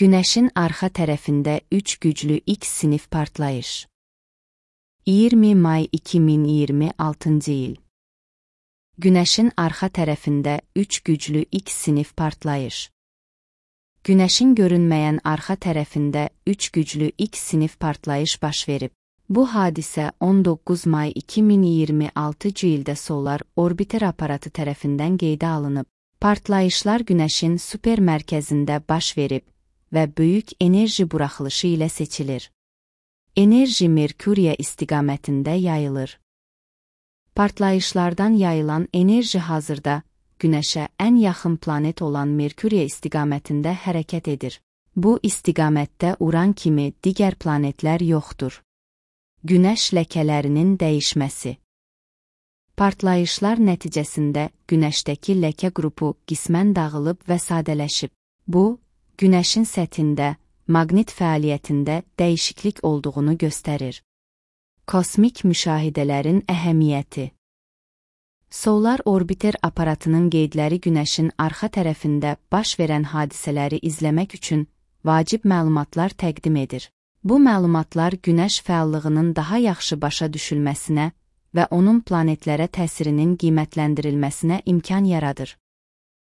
Günəşin arxa tərəfində 3 güclü X sinif partlayış. 20 may 2026 il. Günəşin arxa tərəfində 3 güclü X sinif partlayış. Günəşin görünməyən arxa tərəfində 3 güclü X sinif partlayış baş verib. Bu hadisə 19 may 2026 ildə Solar Orbiter aparatı tərəfindən qeydə alınıb. Partlayışlar Günəşin super mərkəzində baş verib və böyük enerji buraxılışı ilə seçilir. Enerji Merkuriya istiqamətində yayılır. Partlayışlardan yayılan enerji hazırda Günəşə ən yaxın planet olan Merkuriya istiqamətində hərəkət edir. Bu istiqamətdə Uran kimi digər planetlər yoxdur. Günəş ləkələrinin dəyişməsi. Partlayışlar nəticəsində Günəşdəki ləkə qrupu qismən dağılıb və sadələşib. Bu, Günəşin səthində, maqnit fəaliyyətində dəyişiklik olduğunu göstərir. Kosmik müşahidələrin əhəmiyyəti. Solar Orbiter aparatının qeydləri Günəşin arxa tərəfində baş verən hadisələri izləmək üçün vacib məlumatlar təqdim edir. Bu məlumatlar Günəş fəallığının daha yaxşı başa düşülməsinə və onun planetlərə təsirinin qiymətləndirilməsinə imkan yaradır.